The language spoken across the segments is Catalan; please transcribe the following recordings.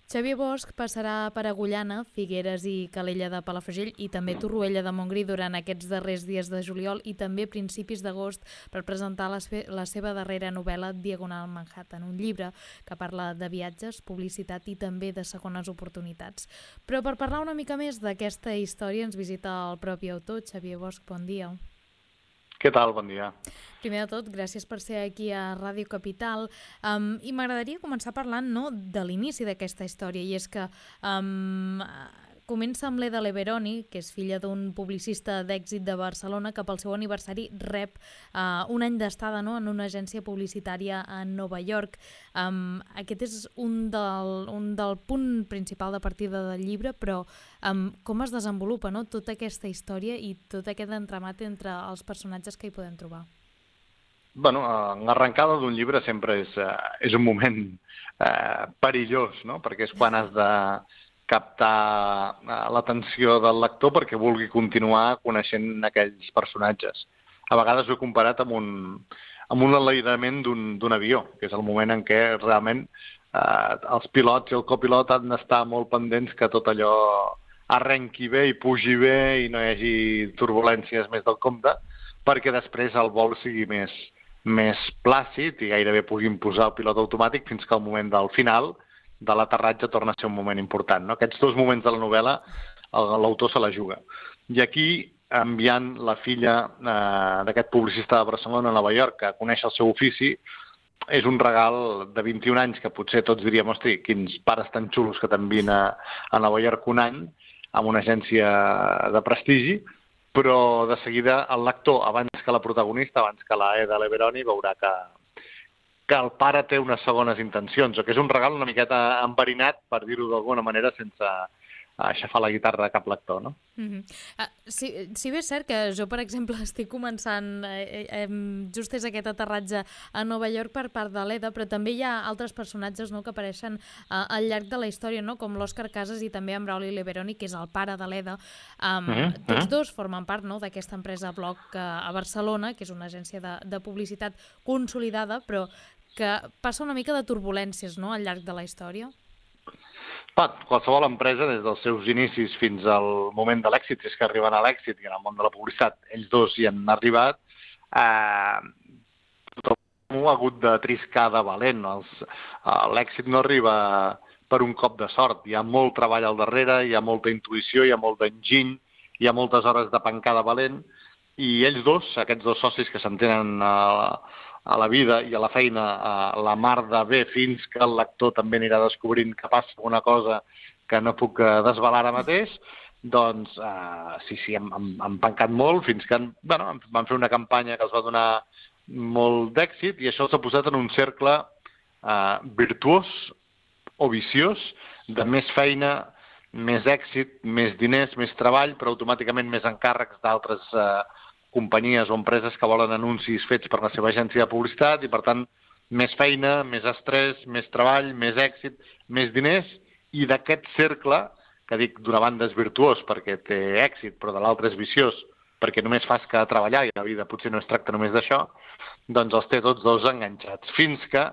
Xavier Bosch passarà per Agullana, Figueres i Calella de Palafrugell i també Torroella de Montgrí durant aquests darrers dies de juliol i també principis d'agost per presentar la seva darrera novel·la Diagonal Manhattan, un llibre que parla de viatges, publicitat i també de segones oportunitats. Però per parlar una mica més d'aquesta història ens visita el propi autor, Xavier Bosch. Bon dia. Què tal? Bon dia. Primer de tot, gràcies per ser aquí a Ràdio Capital. I m'agradaria començar parlant de l'inici d'aquesta història, i és que comença amb l'Eda Leveroni, que és filla d'un publicista d'èxit de Barcelona, que pel seu aniversari rep un any d'estada en una agència publicitària a Nova York. Aquest és un del punt principal de partida del llibre, però com es desenvolupa tota aquesta història i tot aquest entramat entre els personatges que hi podem trobar? Bueno, l'arrencada d'un llibre sempre és un moment perillós, no? Perquè és quan has de captar l'atenció del lector perquè vulgui continuar coneixent aquells personatges. A vegades ho he comparat amb un enlairament d'un avió, que és el moment en què realment els pilots i el copilot han d'estar molt pendents que tot allò arrenqui bé i pugi bé i no hi hagi turbulències més del compte, perquè després el vol sigui més plàcid i gairebé puguin posar el pilot automàtic fins que al moment del final de l'aterratge torna a ser un moment important, no? Aquests dos moments de la novel·la l'autor se la juga. I aquí, enviant la filla d'aquest publicista de Barcelona a Nova York a conèixer el seu ofici, és un regal de 21 anys que potser tots diríem, hosti, quins pares tan xulos que t'envien a Nova York un any amb una agència de prestigi, però de seguida el lector, abans que la protagonista, abans que la Eda Leveroni, veurà que el pare té unes segones intencions, o que és un regal una miqueta enverinat, per dir-ho d'alguna manera, sense aixafar la guitarra a cap lector, no? Sí, bé és cert que jo, per exemple, estic començant, just és aquest aterratge a Nova York per part de l'Eda, però també hi ha altres personatges que apareixen al llarg de la història, com l'Òscar Casas i també en Brauli Leveroni, que és el pare de l'Eda. Tots dos formen part d'aquesta empresa Bloc a Barcelona, que és una agència de publicitat consolidada, però que passa una mica de turbulències al llarg de la història. Qualsevol empresa, des dels seus inicis fins al moment de l'èxit, és que arriben a l'èxit, i en el món de la publicitat ells dos hi han arribat, tothom ha hagut de triscar de valent. L'èxit no arriba per un cop de sort, hi ha molt treball al darrere, hi ha molta intuïció, hi ha molt d'enginy, hi ha moltes hores de pencar de valent, i ells dos, aquests dos socis que s'entenen a la vida i a la feina la mar de bé, fins que el lector també anirà descobrint que passa alguna cosa que no puc desvelar ara mateix, doncs sí, han pencat molt fins que van fer una campanya que els va donar molt d'èxit, i això s'ha posat en un cercle virtuós o viciós de més feina, més èxit, més diners, més treball, però automàticament més encàrrecs d'altres companyies o empreses que volen anuncis fets per la seva agència de publicitat, i per tant més feina, més estrès, més treball, més èxit, més diners, i d'aquest cercle, que dic d'una banda és virtuós perquè té èxit, però de l'altre és viciós perquè només fas que treballar i la vida potser no es tracta només d'això, doncs els té tots dos enganxats, fins que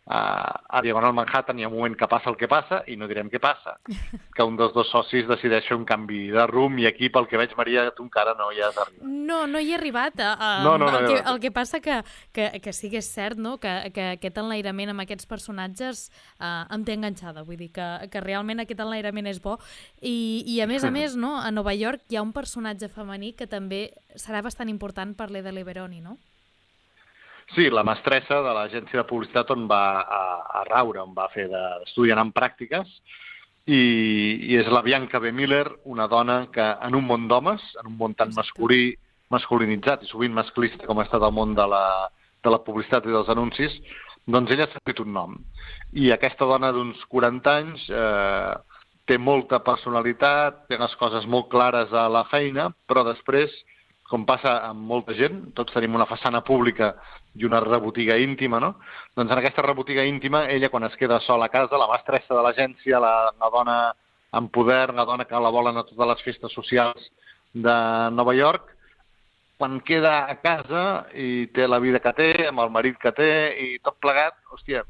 a Diagonal Manhattan hi ha un moment que passa el que passa, i no direm què passa, que un dels dos socis decideix fer un canvi de rumb, i aquí, pel que veig, Maria, tu encara no hi has arribat. No hi he arribat. El que passa que sí que és cert que aquest enlairament amb aquests personatges em té enganxada. Vull dir que realment aquest enlairament és bo. I a més, a Nova York hi ha un personatge femení que també serà bastant important per l'Eda Leveroni, no? Sí, la mestressa de l'agència de publicitat on va a raure, on va fer d'estudiant en pràctiques, i és la Bianca B. Miller, una dona que en un món d'homes, en un món tan masculinitzat i sovint masclista com ha estat el món de la publicitat i dels anuncis, doncs ella s'ha fet un nom. I aquesta dona d'uns 40 anys té molta personalitat, té les coses molt clares a la feina, però després, com passa amb molta gent, tots tenim una façana pública i una rebotiga íntima, no? Doncs en aquesta rebotiga íntima, ella, quan es queda sola a casa, la mestressa de l'agència, la dona amb poder, la dona que la volen a totes les festes socials de Nova York, quan queda a casa i té la vida que té, amb el marit que té i tot plegat, hòstia,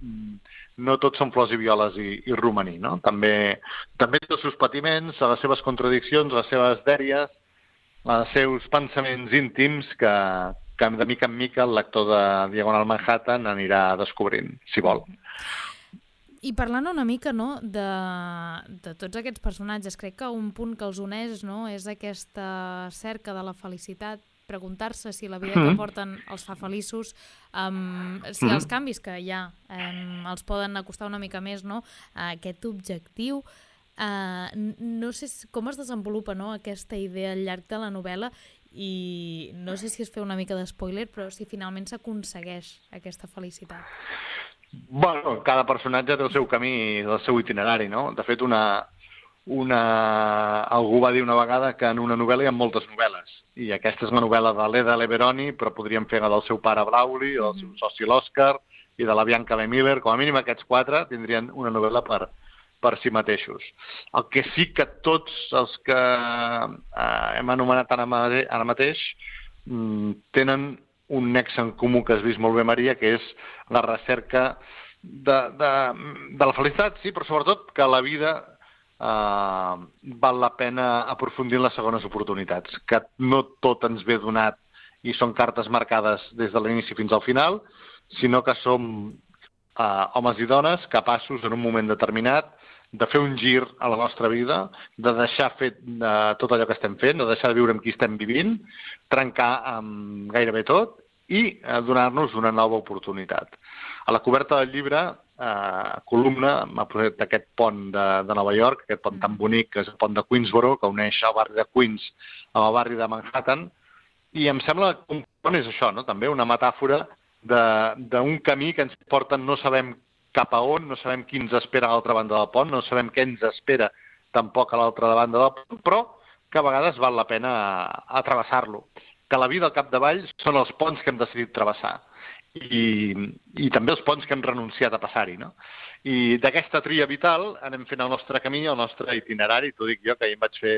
no tots són flors i violes i romaní, no? També té els seus patiments, les seves contradiccions, les seves dèries, els seus pensaments íntims que de mica en mica el lector de Diagonal Manhattan anirà descobrint, si vol. I parlant una mica, no, de tots aquests personatges, crec que un punt que els uneix, no, és aquesta cerca de la felicitat, preguntar-se si la vida que porten els fa feliços, si els canvis que hi ha els poden acostar una mica més, no, a aquest objectiu. No sé com es desenvolupa, no, aquesta idea al llarg de la novel·la, i no sé si es fa una mica d'espoiler, però si finalment s'aconsegueix aquesta felicitat. Bueno, cada personatge té el seu camí, el seu itinerari, no? De fet, algú va dir una vegada que en una novel·la hi ha moltes novel·les, i aquesta és la novel·la de l'Eda Leveroni, però podríem fer la del seu pare Brauli, del seu soci l'Òscar, i de la Bianca B. Miller. Com a mínim aquests 4 tindrien una novel·la per si mateixos. El que sí que tots els que hem anomenat ara mateix tenen un nexe en comú que has vist molt bé, Maria, que és la recerca de la felicitat, sí, però sobretot que la vida val la pena aprofundir en les segones oportunitats, que no tot ens ve donat i són cartes marcades des de l'inici fins al final, sinó que som homes i dones capaços en un moment determinat de fer un gir a la nostra vida, de deixar fet tot allò que estem fent, de deixar de viure amb qui estem vivint, trencar amb gairebé tot i donar-nos una nova oportunitat. A la coberta del llibre, columna, m'ha posat aquest pont de Nova York, aquest pont tan bonic, que és el pont de Queensboro, que uneix el barri de Queens amb el barri de Manhattan, i em sembla que un pont és això, no? També una metàfora d'un camí que ens porta, no sabem cap a on, no sabem qui ens espera a l'altra banda del pont, no sabem què ens espera tampoc a l'altra banda del pont, però que a vegades val la pena atravessar-lo. Que la vida al capdavall són els ponts que hem decidit travessar i també els ponts que hem renunciat a passar-hi, no? I d'aquesta tria vital anem fent el nostre camí, el nostre itinerari, t'ho dic jo, que ahir em vaig fer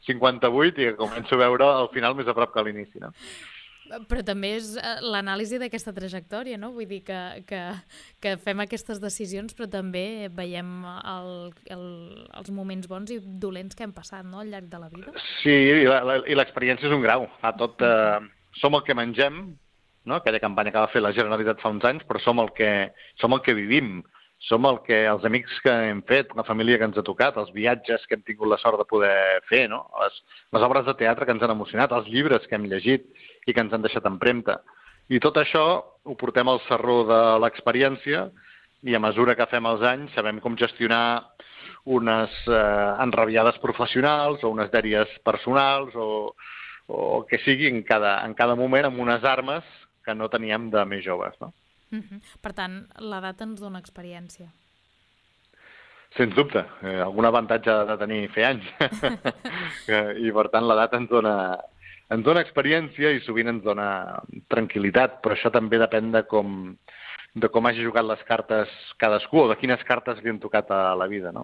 58 i que començo a veure al final més a prop que a l'inici, no? Però també és l'anàlisi d'aquesta trajectòria, no? Vull dir que fem aquestes decisions, però també veiem els moments bons i dolents que hem passat, no?, al llarg de la vida. Sí, i l'experiència és un grau. Som el que mengem, no? Aquella campanya que va fer la Generalitat fa uns anys, però som el que vivim. Som els amics que hem fet, la família que ens ha tocat, els viatges que hem tingut la sort de poder fer, no? Les obres de teatre que ens han emocionat, els llibres que hem llegit i que ens han deixat empremta. I tot això ho portem al sarró de l'experiència i a mesura que fem els anys sabem com gestionar unes enrabiades professionals o unes dèries personals o que sigui en cada moment amb unes armes que no teníem de més joves, no? Per tant, l'edat ens dona experiència. Sens dubte. Algun avantatge de tenir fer anys. I per tant l'edat ens dona experiència i sovint ens dona tranquil·litat, però això també depèn de com hagi jugat les cartes cadascú o de quines cartes li han tocat a la vida, no?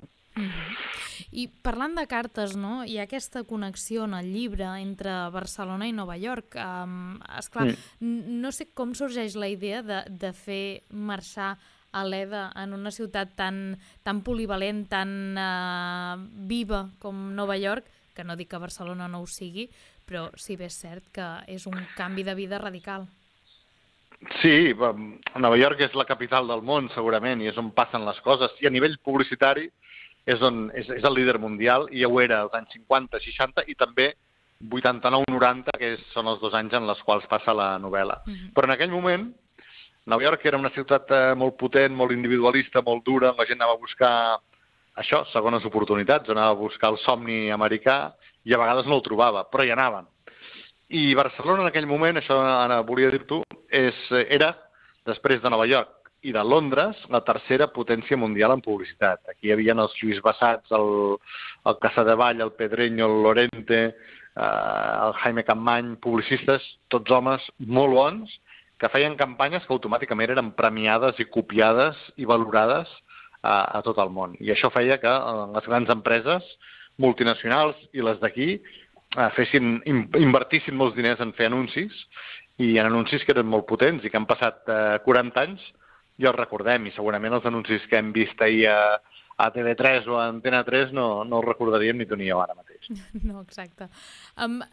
I parlant de cartes, no, hi ha aquesta connexió en el llibre entre Barcelona i Nova York. Esclar, no sé com sorgeix la idea de fer marxar a l'Eda en una ciutat tan polivalent, tan viva com Nova York, que no dic que Barcelona no ho sigui, però sí bé és cert que és un canvi de vida radical. Sí, Nova York és la capital del món, segurament, i és on passen les coses. I a nivell publicitari és el líder mundial, i ja ho era als anys 50, 60 i també 89-90, que són els 2 anys en els quals passa la novel·la. Però en aquell moment, Nova York era una ciutat molt potent, molt individualista, molt dura, on la gent anava a buscar això, segones oportunitats, anava a buscar el somni americà i a vegades no el trobava, però hi anaven. I Barcelona en aquell moment, això ara volia dir-t'ho, era, després de Nova York i de Londres, la tercera potència mundial en publicitat. Aquí hi havia els Lluís Bassats, el Casadevall, el Pedreño, el Lorente, el Jaime Campmany, publicistes, tots homes molt bons, que feien campanyes que automàticament eren premiades i copiades i valorades a tot el món. I això feia que les grans empreses multinacionals i les d'aquí invertissin molts diners en fer anuncis, i en anuncis que eren molt potents i que han passat 40 anys i els recordem, i segurament els anuncis que hem vist ahir a TV3 o a Antena 3 no els recordaríem ni tu ni jo ara mateix. No, exacte.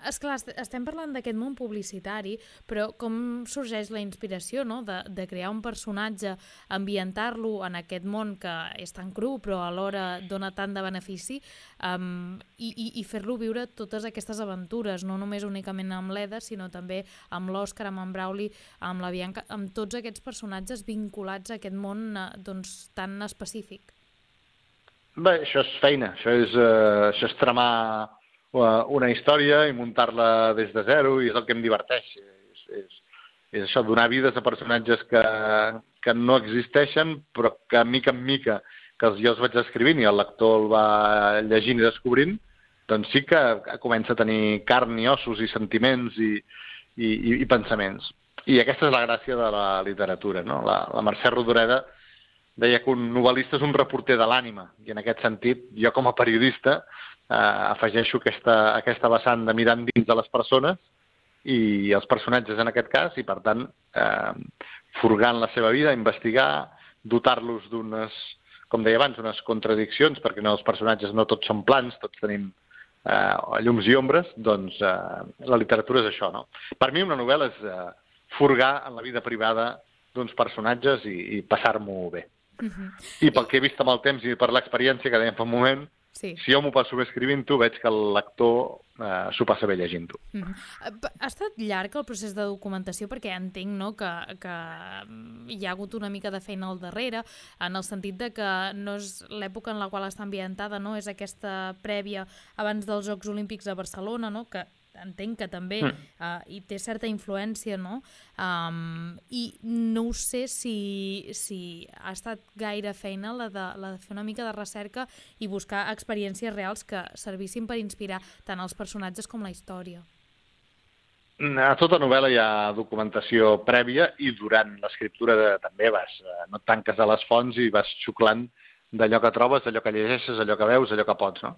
Esclar, estem parlant d'aquest món publicitari, però com sorgeix la inspiració, no?, de crear un personatge, ambientar-lo en aquest món que és tan cru però alhora dona tant de benefici, i fer-lo viure totes aquestes aventures, no només únicament amb l'Eda, sinó també amb l'Òscar, amb en Brauli, amb la Bianca, amb tots aquests personatges vinculats a aquest món doncs, tan específic. Bé, això és feina, això és tramar una història i muntar-la des de zero, i és el que em diverteix. És això, donar vides a personatges que no existeixen, però que mica en mica que jo els vaig escrivint i el lector el va llegint i descobrint, doncs sí que comença a tenir carn i ossos i sentiments i pensaments. I aquesta és la gràcia de la literatura, no? La Mercè Rodoreda deia que un novel·lista és un reporter de l'ànima, i en aquest sentit, jo com a periodista afegeixo aquesta vessant de mirar dins de les persones i els personatges en aquest cas, i per tant, furgant la seva vida, investigar, dotar-los d'unes, com deia abans, unes contradiccions, perquè els personatges no tots són plans, tots tenim llums i ombres, doncs la literatura és això, no? Per mi una novel·la és furgar en la vida privada d'uns personatges i passar-m'ho bé. I pel que he vist amb el temps i per l'experiència que dèiem fa un moment, si jo m'ho passo bé escrivint-ho, veig que el lector s'ho passa bé llegint-ho. Ha estat llarg el procés de documentació, perquè entenc, no, que hi ha hagut una mica de feina al darrere, en el sentit de que no és l'època en la qual està ambientada, no? És aquesta prèvia abans dels Jocs Olímpics a Barcelona, no? Que entenc que també hi té certa influència, no? I no ho sé si ha estat gaire feina la de fer una mica de recerca i buscar experiències reals que servissin per inspirar tant els personatges com la història. A tota novel·la hi ha documentació prèvia, i durant l'escriptura també no et tanques a les fonts i vas xuclant d'allò que trobes, d'allò que llegeixes, allò que veus, allò que pots, no?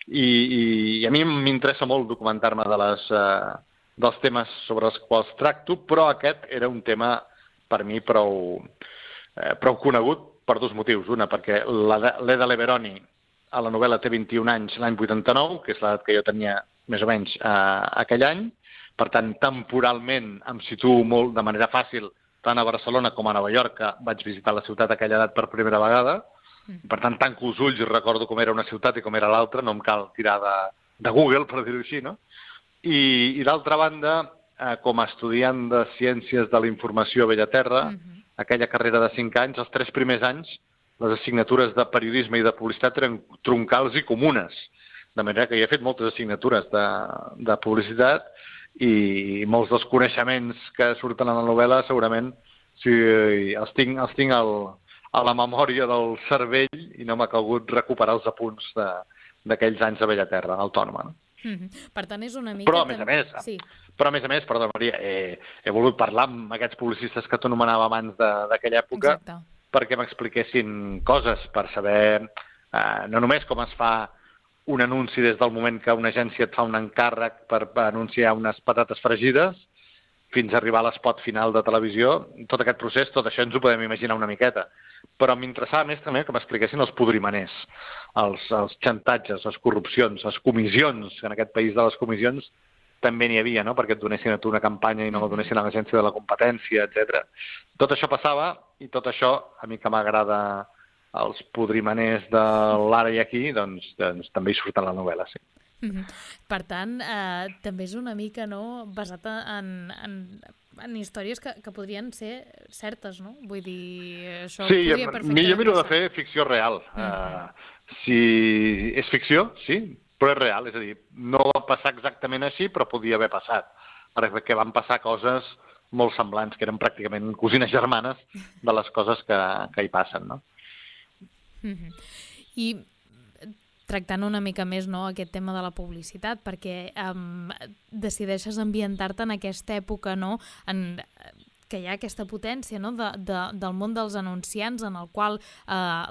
I a mi m'interessa molt documentar-me dels temes sobre els quals tracto, però aquest era un tema per mi prou conegut per dos motius. Una, perquè l'Eda Leveroni a la novel·la té 21 anys l'any 89, que és l'edat que jo tenia més o menys aquell any. Per tant, temporalment em situo molt de manera fàcil tant a Barcelona com a Nova York, que vaig visitar la ciutat a aquella edat per primera vegada. Per tant, tanco els ulls i recordo com era una ciutat i com era l'altra, no em cal tirar de Google, per dir-ho així, no? I d'altra banda, com a estudiant de Ciències de la Informació a Bellaterra, aquella carrera de 5 anys, els 3 primers anys, les assignatures de periodisme i de publicitat eren troncals i comunes. De manera que jo he fet moltes assignatures de publicitat, i molts dels coneixements que surten a la novel·la segurament els tinc a la memòria del cervell, i no m'ha calgut recuperar els apunts d'aquells anys a Bellaterra, autònoma. Per tant, és una mica... Però, a més a més, perdó, Maria, he volgut parlar amb aquests publicistes que t'anomenava abans d'aquella època, perquè m'expliquessin coses, per saber no només com es fa un anunci des del moment que una agència et fa un encàrrec per anunciar unes patates fregides, fins a arribar a l'espot final de televisió, tot aquest procés, tot això ens ho podem imaginar una miqueta. Però m'interessava més també que m'expliquessin els podrimaners, els xantatges, les corrupcions, les comissions, que en aquest país de les comissions també n'hi havia, no?, perquè et donessin a tu una campanya i no la donessin a l'agència de la competència, etc. Tot això passava, i tot això, a mi que m'agrada els podrimaners de l'ara i aquí, doncs també hi surten a la novel·la, sí. Per tant, també és una mica, no, basat en històries que podrien ser certes, no? Vull dir, això podria perfectament... Jo miro de fer ficció real. Si és ficció, sí, però és real, és a dir, no va passar exactament així, però podia haver passat, perquè van passar coses molt semblants, que eren pràcticament cosines germanes de les coses que hi passen, no? I tractant una mica més, no, aquest tema de la publicitat, perquè decideixes ambientar-te en aquesta època, no, que hi ha aquesta potència, no, del món dels anunciants, en el qual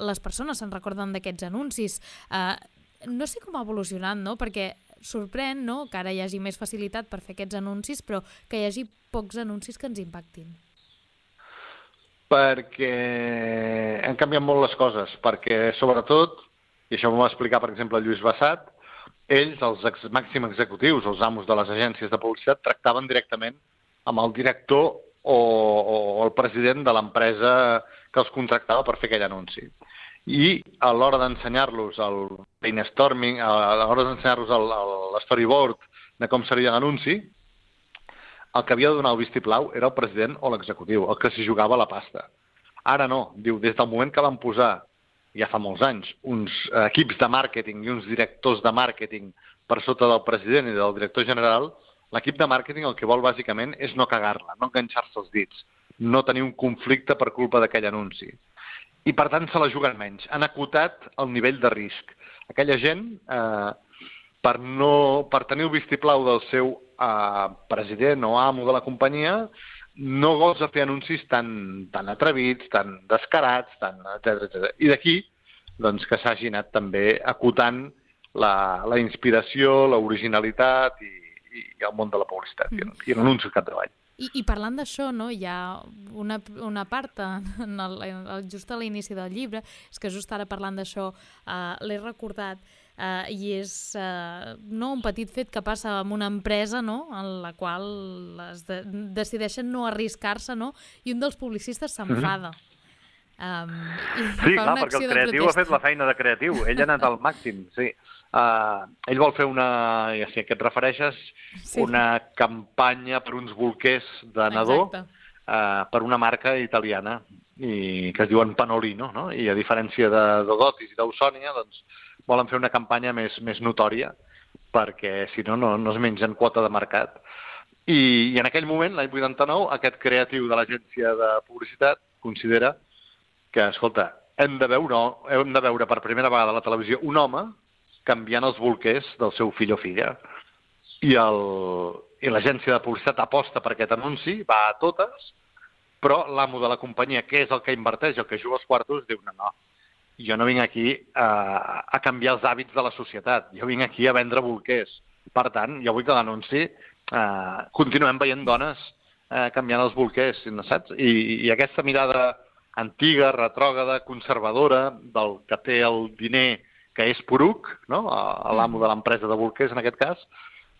les persones se'n recorden d'aquests anuncis. No sé com ha evolucionat, no?, perquè sorprèn, no?, que ara hi hagi més facilitat per fer aquests anuncis, però que hi hagi pocs anuncis que ens impactin. Perquè han canviat molt les coses, perquè sobretot, i això m'ho va explicar per exemple Lluís Bassat, ells, els màxims executius, els amos de les agències de publicitat, tractaven directament amb el director o el president de l'empresa que els contractava per fer aquell anunci. I a l'hora d'ensenyar-los el brainstorming, a l'hora d'ensenyar-los l'storyboard de com seria l'anunci, el que havia de donar el vistiplau era el president o l'executiu, el que s'hi jugava la pasta. Ara no, diu, des del moment que van posar, ja fa molts anys, uns equips de màrqueting i uns directors de màrqueting per sota del president i del director general, l'equip de màrqueting el que vol bàsicament és no cagar-la, no enganxar-se els dits, no tenir un conflicte per culpa d'aquell anunci. I per tant se la juguen menys. Han acotat el nivell de risc. Aquella gent, per tenir el vistiplau del seu president o amo de la companyia, no gosa fer anuncis tan atrevits, tan descarats, etc. I d'aquí doncs, que s'hagi anat també acotant la inspiració, l'originalitat i el món de la publicitat i l'anunci al capdavall. I parlant d'això, no, hi ha una part just a l'inici del llibre, és que just ara parlant d'això l'he recordat, i és un petit fet que passa amb una empresa, no, en la qual decideixen no arriscar-se, no, i un dels publicistes s'enfada. Sí, clar, perquè el creatiu ha fet la feina de creatiu, ell ha anat al màxim, sí. Ell vol fer ja sé a què et refereixes, una campanya per uns bolquers de nadó per una marca italiana que es diuen Panolino, no? I a diferència de Dogotis i d'Ausònia, doncs volen fer una campanya més notòria perquè si no es mengen quota de mercat. I en aquell moment, l'any 89, aquest creatiu de l'agència de publicitat considera que, escolta, hem de veure per primera vegada a la televisió un home canviant els bolquers del seu fill o filla. I l'agència de publicitat aposta per aquest anunci, va a totes, però l'amo de la companyia, que és el que inverteix, el que juga els quartos, diu no, jo no vinc aquí a canviar els hàbits de la societat, jo vinc aquí a vendre bolquers. Per tant, jo vull que l'anunci continuem veient dones canviant els bolquers, saps? I aquesta mirada antiga, retrògrada, conservadora, del que té el diner que és poruc, no? L'amo de l'empresa de bolquers, en aquest cas,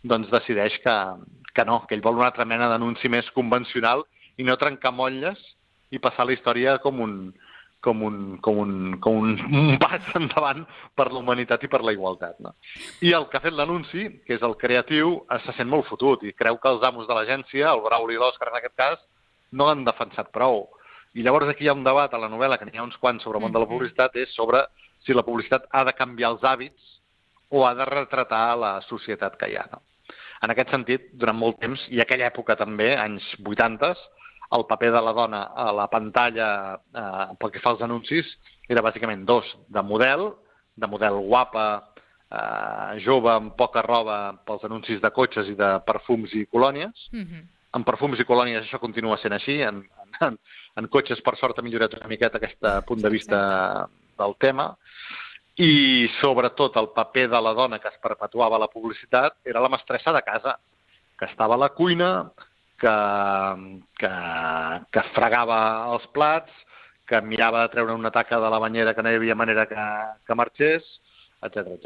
doncs decideix que no, que ell vol una altra mena d'anunci més convencional i no trencar motlles i passar la història com un pas endavant per la humanitat i per la igualtat. No? I el que ha fet l'anunci, que és el creatiu, se sent molt fotut i creu que els amos de l'agència, el Brauli i l'Òscar en aquest cas, no l'han defensat prou. I llavors aquí hi ha un debat a la novel·la, que n'hi ha uns quants sobre el món de la publicitat, és sobre si la publicitat ha de canviar els hàbits o ha de retratar la societat que hi ha. No? En aquest sentit, durant molt temps, i aquella època també, anys 80, el paper de la dona a la pantalla pel que fa als anuncis era bàsicament dos, de model guapa, jove, amb poca roba pels anuncis de cotxes i de perfums i colònies. En perfums i colònies això continua sent així, en cotxes per sort ha millorat una miqueta aquest punt de vista del tema, i sobretot el paper de la dona que es perpetuava a la publicitat era la mestressa de casa, que estava a la cuina, que fregava els plats, que mirava de treure una taca de la banyera que no hi havia manera que marxés, etc.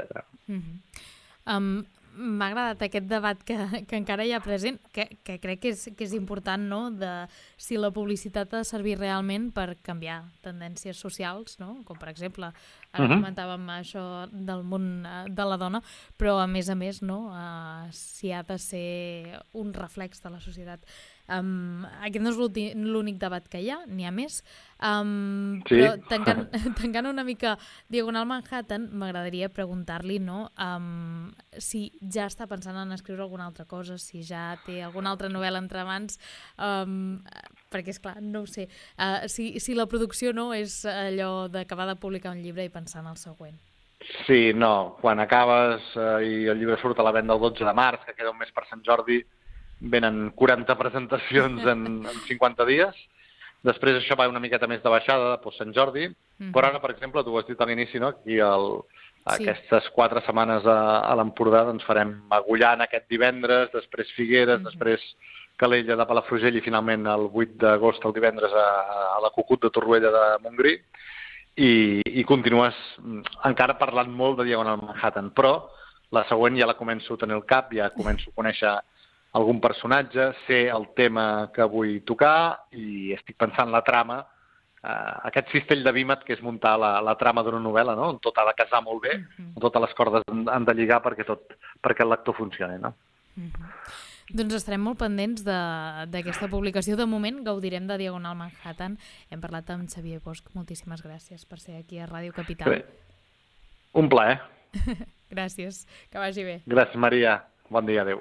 M'ha agradat aquest debat que encara hi ha present, que crec que és important, no?, de si la publicitat ha de servir realment per canviar tendències socials, no?, com per exemple, ara comentàvem això del món de la dona, però a més, no?, si ha de ser un reflex de la societat. Aquest no és l'únic debat que hi ha, n'hi ha més, però tancant una mica Diagonal Manhattan, m'agradaria preguntar-li, no?, si ja està pensant en escriure alguna altra cosa, si ja té alguna altra novel·la entre mans, perquè és clar, no ho sé, si la producció no és allò d'acabar de publicar un llibre i pensar en el següent. Sí, no, quan acabes i el llibre surt a la venda el 12 de març, que queda un mes per Sant Jordi, venen 40 presentacions en 50 dies. Després això va una miqueta més de baixada per Sant Jordi, però ara, per exemple, tu ho has dit a l'inici, no? Aquí aquestes 4 setmanes a l'Empordà doncs farem Agullana aquest divendres, després Figueres, després Calella de Palafrugell i finalment el 8 d'agost, el divendres, a la Cucut de Torroella de Montgrí, i continues encara parlant molt de Diagonal Manhattan, però la següent ja la començo a tenir al cap, ja començo a conèixer algun personatge, sé el tema que vull tocar i estic pensant la trama, aquest cistell de Vímet que és muntar la trama d'una novel·la, no? On tot ha de casar molt bé, on totes les cordes han de lligar perquè el lector funcioni, no? Doncs estarem molt pendents d'aquesta publicació. De moment gaudirem de Diagonal Manhattan. Hem parlat amb Xavier Bosch. Moltíssimes gràcies per ser aquí a Ràdio Capital. Bé. Un plaer. Gràcies, que vagi bé. Gràcies, Maria. Bon dia, adeu.